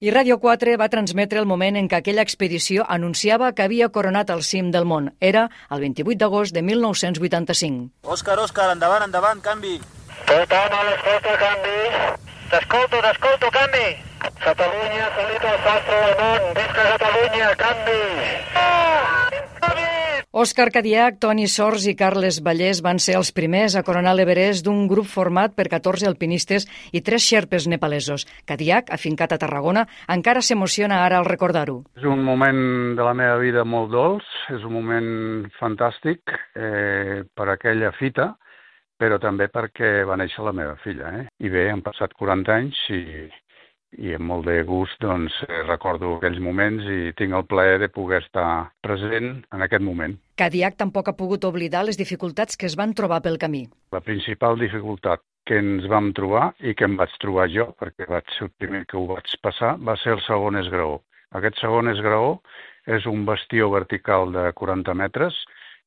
I Ràdio 4 va transmetre el moment en què aquella expedició anunciava que havia coronat el cim del món. Era el 28 d'agost de 1985. Òscar, endavant, canvi. Tothom a l'escolta, canvi. T'escolto, canvi. Catalunya, salut al sastre del món. Visca Catalunya, canvi. Òscar Cadiach, Toni Sors i Carles Vallès van ser els primers a coronar l'Everest d'un grup format per 14 alpinistes i 3 xerpes nepalesos. Cadiach, afincat a Tarragona, encara s'emociona ara al recordar-ho. És un moment de la meva vida molt dolç, és un moment fantàstic per aquella fita, però també perquè va néixer la meva filla. I bé, han passat 40 anys i amb molt de gust recordo aquells moments i tinc el plaer de poder estar present en aquest moment. Cadiach tampoc ha pogut oblidar les dificultats que es van trobar pel camí. La principal dificultat que ens vam trobar i que em vaig trobar jo, perquè vaig ser el primer que ho vaig passar, va ser el segon esgraó. Aquest segon esgraó és un bastió vertical de 40 metres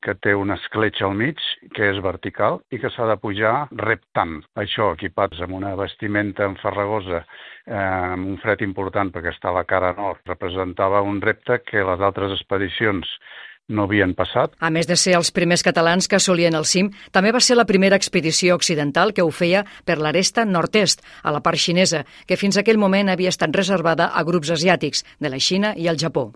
que té una escletxa al mig, que és vertical i que s'ha de pujar reptant. Això, equipats amb una vestimenta enfarragosa, amb un fred important perquè està a la cara nord, representava un repte que les altres expedicions no havien passat. A més de ser els primers catalans que assolien el cim, també va ser la primera expedició occidental que ho feia per l'aresta nord-est, a la part xinesa, que fins aquell moment havia estat reservada a grups asiàtics, de la Xina i el Japó.